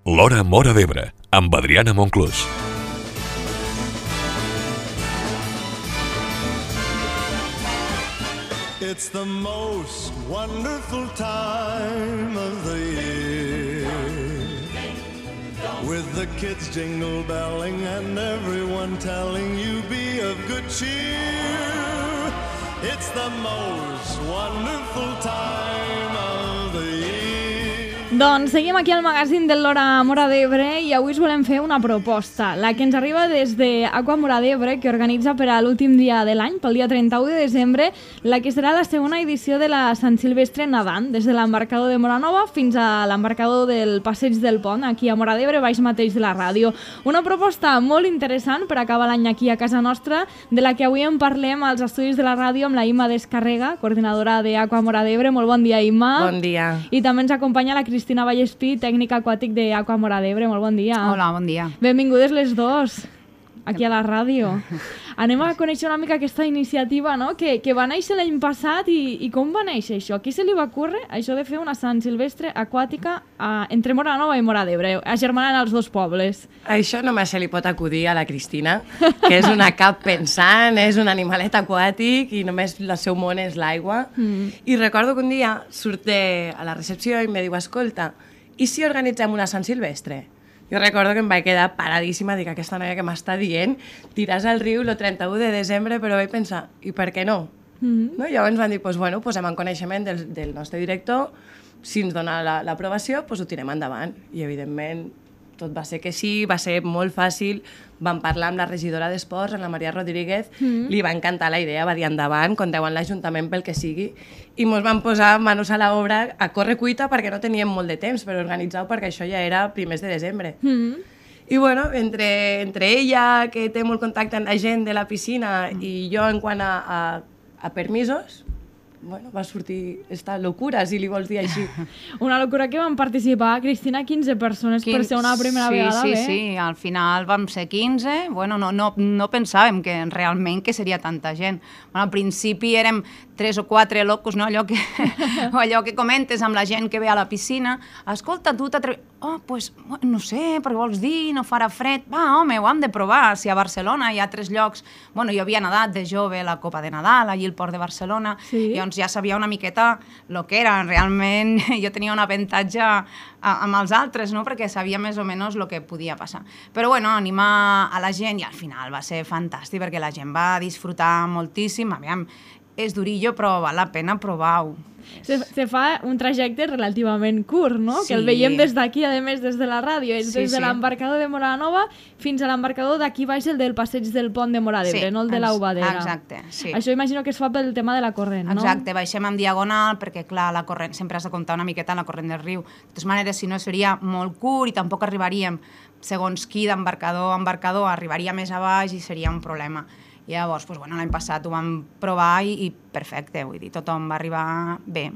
L'Hora Móra d'Ebre, amb Adriana Monclús. It's the most wonderful time of the year, with the kids jingle belling and everyone telling you be of good cheer. It's the most wonderful time of the year. Doncs seguim aquí al magazín de l'Hora Móra d'Ebre i avui us volem fer una proposta, la que ens arriba des d'Aqua Móra d'Ebre, que organitza per a l'últim dia de l'any, pel dia 31 de desembre, la que serà la segona edició de la Sant Silvestre nedant, des de l'embarcador de Moranova fins a l'embarcador del Passeig del Pont, aquí a Móra d'Ebre, baix mateix de la ràdio. Una proposta molt interessant per acabar l'any aquí a casa nostra, de la que avui en parlem als estudis de la ràdio amb la Imma Descarrega, coordinadora d'Aqua Móra d'Ebre. Molt bon dia, Imma. Bon dia. I també ens acompanya la Cristina Vallespí, tècnic aquàtic d'Aqua Móra d'Ebre. Molt bon dia. Hola, bon dia. Benvingudes les dos, aquí a la ràdio. Anem a conèixer una mica aquesta iniciativa, no?, que va néixer l'any passat i com va néixer això? A qui se li va ocórrer això de fer una Sant Silvestre aquàtica entre Moranova i Móra d'Ebre, agermanant els dos pobles? Això només se li pot acudir a la Cristina, que és una cap pensant, és un animalet aquàtic i només el seu món és l'aigua. I recordo que un dia surt a la recepció i em diu, escolta, i si organitzem una Sant Silvestre? Jo recordo que em vaig quedar paradíssima, dic, aquesta noia que m'està dient, tiràs al riu el 31 de desembre, però vaig pensar, i per què no? No? Llavors van dir, bueno, posem en coneixement del nostre director, si ens dona l'aprovació, ho tirem endavant. I evidentment tot va ser que sí, va ser molt fàcil, vam parlar amb la regidora d'Esports, amb la Maria Rodríguez, li va encantar la idea, va dir endavant, compteu amb l'Ajuntament pel que sigui, i ens vam posar manos a l'obra a córrer cuita perquè no teníem molt de temps per organitzar-ho, perquè això ja era primers de desembre. I bueno, entre ella, que té molt contacte amb la gent de la piscina, i jo en quant a permisos, bueno, va sortir esta locura, si li vols dir així. Una locura que van participar, Cristina, 15 persones per ser una primera vegada, bé? Sí, al final vam ser 15, bueno, no pensàvem que realment que seria tanta gent. Bueno, al principi érem 3 o 4 locos, no? Allò que comentes amb la gent que ve a la piscina, escolta, tu t'atreves... Oh, pues, no sé, perquè vols dir, no farà fred. Va, home, ho hem de provar. Si a Barcelona hi ha 3 llocs... Bueno, jo havia nedat de jove la Copa de Nadal, allí al Port de Barcelona, i llavors ja sabia una miqueta el que era. Realment jo tenia un avantatge amb els altres, no?, perquè sabia més o menys el que podia passar. Però, bueno, animar a la gent, i al final va ser fantàstic, perquè la gent va disfrutar moltíssim. Aviam, és durillo, però val la pena provar-ho. Se fa un trajecte relativament curt, no? Sí. Que el veiem des d'aquí, a més, des de la ràdio. És des de l'embarcador de Moranova fins a l'embarcador d'aquí baix, el del Passeig del Pont de Móra d'Ebre, no el de l'Aubadera. Exacte, sí. Això imagino que es fa pel tema de la corrent, no? Exacte, baixem en diagonal, perquè, clar, la corrent, sempre has de comptar una miqueta en la corrent del riu. De totes maneres, si no, seria molt curt i tampoc arribaríem, segons qui, d'embarcador a embarcador, arribaria més a baix i seria un problema. I llavors, l'any passat ho vam provar i perfecte, vull dir, tothom va arribar bé.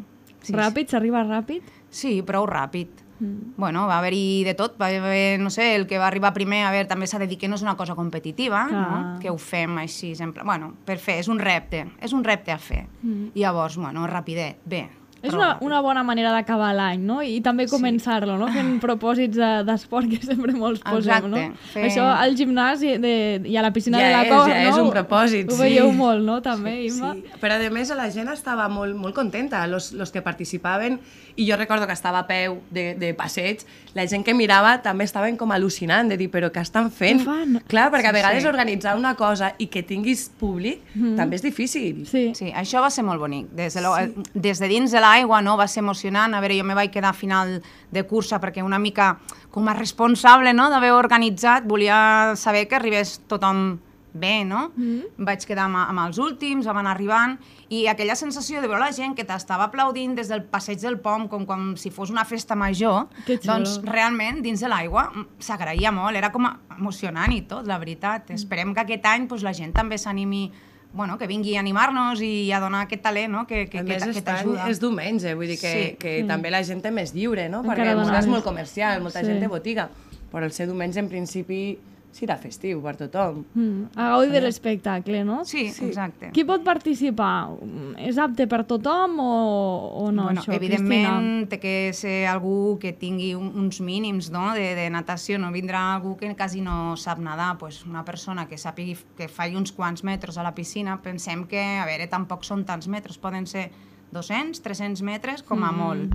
Ràpid? S'arriba ràpid? Sí, prou ràpid. Bueno, va haver-hi de tot, va haver, no sé, el que va arribar primer, a veure, també s'ha de dir que no és una cosa competitiva, no? Que ho fem així, sempre, bueno, per fer, és un repte a fer. I llavors, bueno, rapidet, bé. És una bona manera d'acabar l'any, no? I també començar-lo, no? Fent propòsits d'esport que sempre molts posem, no? Això al gimnàs i a la piscina de la cova, no? Ja és un propòsit, sí. Ho veieu molt, no? També, Imma? Sí, però a més la gent estava molt contenta, los que participaven, i jo recordo que estava a peu de passeig, la gent que mirava també estaven com al·lucinant, de dir, però què estan fent? Clar, perquè a vegades organitzar una cosa i que tinguis públic també és difícil. Sí, això va ser molt bonic. Des de dins de l'aigua, no? Va ser emocionant. A veure, jo me vaig quedar a final de cursa perquè una mica com a responsable, no?, d'haver organitzat, volia saber que arribés tothom bé, no? Vaig quedar amb els últims, van arribant, i aquella sensació de veure la gent que t'estava aplaudint des del Passeig del Pont, com si fos una festa major, doncs realment dins de l'aigua s'agraïa molt, era com emocionant i tot, la veritat. Esperem que aquest any la gent també s'animi, bueno, que vingui a animar-nos i a donar aquest talent, no?, que t'ajuda. És diumenge, vull dir que també la gent és més lliure, no?, perquè és molt comercial, molta gent de botiga, però el ser diumenge en principi serà festiu per tothom. A gaudi de l'espectacle, no? Sí, exacte. Qui pot participar? És apte per tothom o no, Bueno, això, evidentment té que ser algú que tingui uns mínims, no? de natació, no vindrà algú que quasi no sap nedar, pues una persona que sàpigui que faci uns quants metres a la piscina, pensem que, a veure, tampoc són tants metres, poden ser 200, 300 metres com a molt.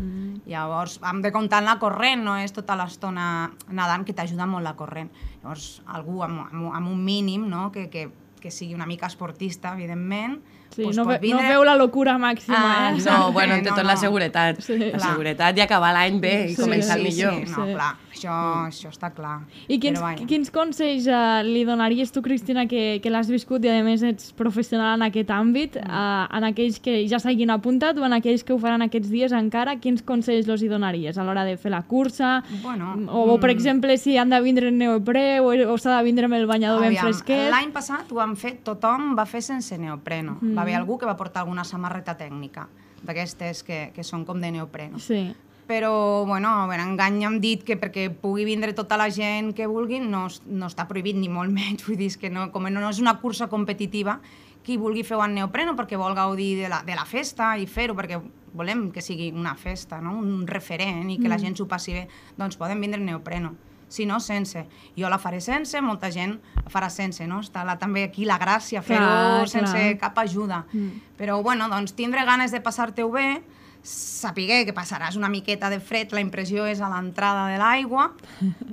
Llavors, hem de comptar en la corrent, no és tota l'estona nedant, que t'ajuda molt la corrent. Llavors, algú amb un mínim, no? que sigui una mica esportista, evidentment, Sí, pues no pot vindre... feu la locura màxima, eh? No, bueno, té No, tot la no. seguretat. Sí. La Clar. seguretat i acabar l'any bé i començar millor. Sí, no, Sí. clar, això està clar. I Però vaja. quins consells li donaries tu, Cristina, que l'has viscut i a més ets professional en aquest àmbit, en aquells que ja s'hagin apuntat o en aquells que ho faran aquests dies encara, quins consells els hi donaries a l'hora de fer la cursa? Bueno, O, per exemple, si han de vindre en neoprè o s'ha de vindre amb el banyador ben fresquet? L'any passat ho han fet, tothom va fer sense neopreno. Va haver algú que va portar alguna samarreta tècnica, d'aquestes que són com de neopreno. Sí. Però, bueno, en engany hem dit que perquè pugui vindre tota la gent que vulguin no està prohibit ni molt menys. Vull dir que no, com no és una cursa competitiva, qui vulgui fer-ho en neopreno perquè vol gaudir de la festa i fer-ho perquè volem que sigui una festa, no? Un referent i que la gent s'ho passi bé, doncs poden vindre en neopreno. Si no, sense. Jo la faré sense, molta gent la farà sense, no? Està també aquí la gràcia, fer-ho sense cap ajuda. Però, bueno, doncs tindre ganes de passar-te-ho bé, saber que passaràs una miqueta de fred, la impressió és a l'entrada de l'aigua,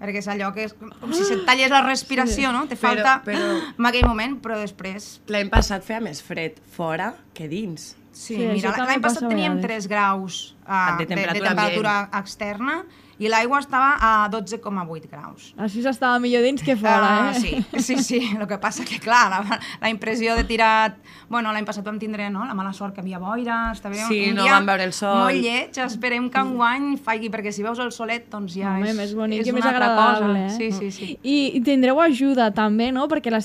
perquè és allò que és com si se't tallés la respiració, no? Te falta en aquell moment, però després... L'any passat feia més fred fora que dins. Sí, Sí, mira, això també l'any passat passa a teníem vegades. 3 graus De temperatura externa i l'aigua estava a 12,8 graus. Així s'estava millor dins que fora, eh? Sí. El que passa que, clar, la impressió de tirar... Bueno, l'any passat vam tindre la mala sort que havia boira, estava Sí, un no dia vam veure el sol. molt lleig, esperem que enguany faci, perquè si veus el solet, doncs ja Home, més bonic és i més una altra agradable, cosa. Sí. I tindreu ajuda també, no? Perquè la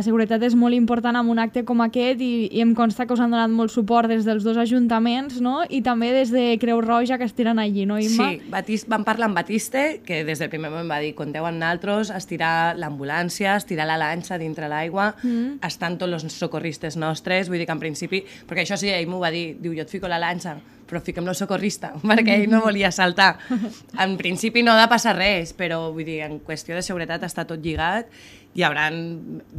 seguretat és molt important en un acte com aquest i em consta que us han donat molt suport des dels dos ajuntaments, no? I també des de Creu Roja que estiren allí, no, Imma? Sí, vam parlar amb Batiste, que des del primer moment va dir compteu amb nosaltres, estirar l'ambulància, estirar la lanxa dintre l'aigua, estan tots els socorristes nostres, vull dir que en principi, perquè això sí, ell m'ho va dir, diu, jo et fico la lanxa, però fiquem el socorrista, perquè ell no volia saltar. En principi no ha de passar res, però vull dir, en qüestió de seguretat està tot lligat, hi haurà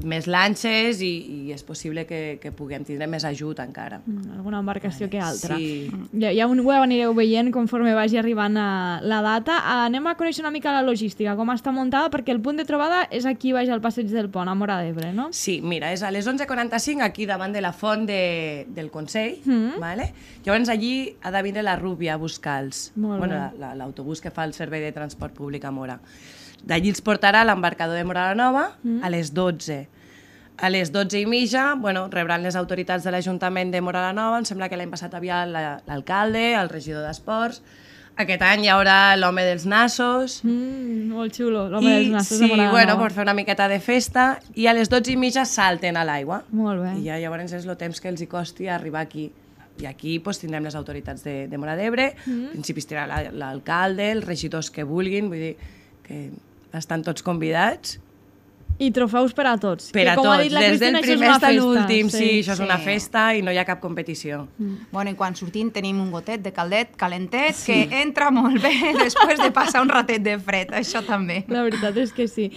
més lanxes i és possible que puguem tindre més ajut encara. Alguna embarcació que altra. Sí. Ja ho anireu veient conforme vagi arribant la data. Anem a conèixer una mica la logística, com està muntada, perquè el punt de trobada és aquí baix al Passeig del Pont, a Móra d'Ebre, no? Sí, mira, és a les 11:45 aquí davant de la font del Consell, vale? Llavors allí ha de vindre la Rúbia a buscar-los. Molt bé. Bueno, l'autobús que fa el servei de transport públic a Móra. D'allí els portarà a l'embarcador de Móra la Nova a les 12. A les 12:30, bueno, rebran les autoritats de l'Ajuntament de Móra la Nova. Em sembla que l'any passat havia l'alcalde, el regidor d'Esports. Aquest any hi haurà l'home dels nassos. Molt xulo, l'home dels nassos de Sí, Móra la bueno, Nova. per fer una miqueta de festa. I a les 12:30 salten a l'aigua. Molt bé. I ja llavors és el temps que els hi costi arribar aquí. I aquí pues, tindrem les autoritats de Móra d'Ebre, en principi estirà l'alcalde, els regidors que vulguin, vull dir que estan tots convidats. I trofeus per a tots. Per a que, com ha tots, dit la des Cristina, del això és primer una fins a festa. l'últim, sí, això és una Sí. festa i no hi ha cap competició. Bueno, i quan sortim tenim un gotet de caldet, calentet, que entra molt bé després de passar un ratet de fred, això també. La veritat és que sí.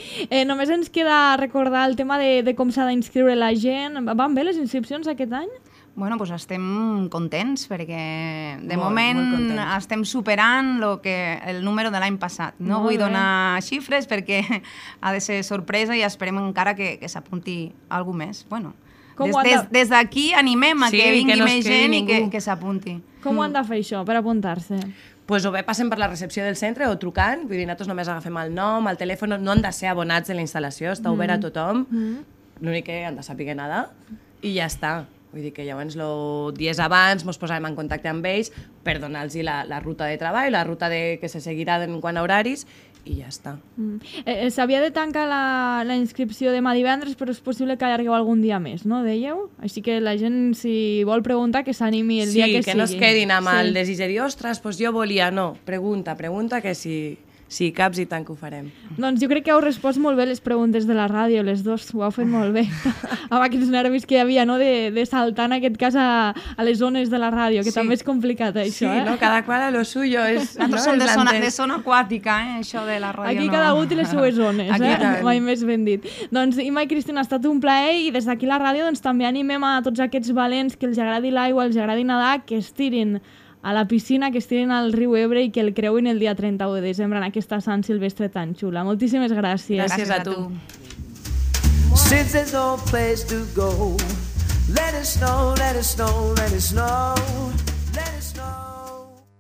Només ens queda recordar el tema de com s'ha d'inscriure la gent. Van bé les inscripcions aquest any? Bueno, doncs estem contents perquè de Molt moment contents. estem superant el número de l'any passat. No Molt vull bé. donar xifres perquè ha de ser sorpresa i esperem encara que s'apunti algú més. Bueno, Com ho han de- des d'aquí animem a Sí, que que vingui no es més quedi gent i ningú. que s'apunti. Com ho han de fer això per apuntar-se? Pues o bé passen per la recepció del centre o trucant, vull dir, nosaltres només agafem el nom, el telèfon, no han de ser abonats de la instal·lació, està obert a tothom, l'únic que han de saber nedar i ja està. Vull dir que llavors dies abans ens posarem en contacte amb ells per donar-los la ruta de treball, la ruta que se seguirà en quant a horaris i ja està. S'havia de tancar la inscripció demà divendres, però és possible que allargueu algun dia més, no? Dèieu? Així que la gent, si vol preguntar, que s'animi el dia que sigui. Sí, que no es quedin amb el desig de dir, ostres, doncs jo volia. No, pregunta, que si si caps i tant que ho farem. Doncs jo crec que heu respost molt bé les preguntes de la ràdio, les dos, ho heu fet molt bé. Amb aquests nervis que hi havia, no?, de saltar en aquest cas a les zones de la ràdio, que també és complicat, això, Sí, no? Cada qual a lo suyo. Nosaltres som de zona aquàtica, això de la ràdio. Aquí cada un té les seues zones, Aquí mai més ben dit. Doncs, Imma i Cristina, ha estat un plaer i des d'aquí la ràdio doncs, també animem a tots aquests valents que els agradi l'aigua, els agradi nedar, que es tirin a la piscina, que es tirin al riu Ebre i que el creuin el dia 31 de desembre en aquesta Sant Silvestre tan xula. Moltíssimes gràcies. Gràcies a tu. Since there's no place to go, let it snow, let it snow, let it snow.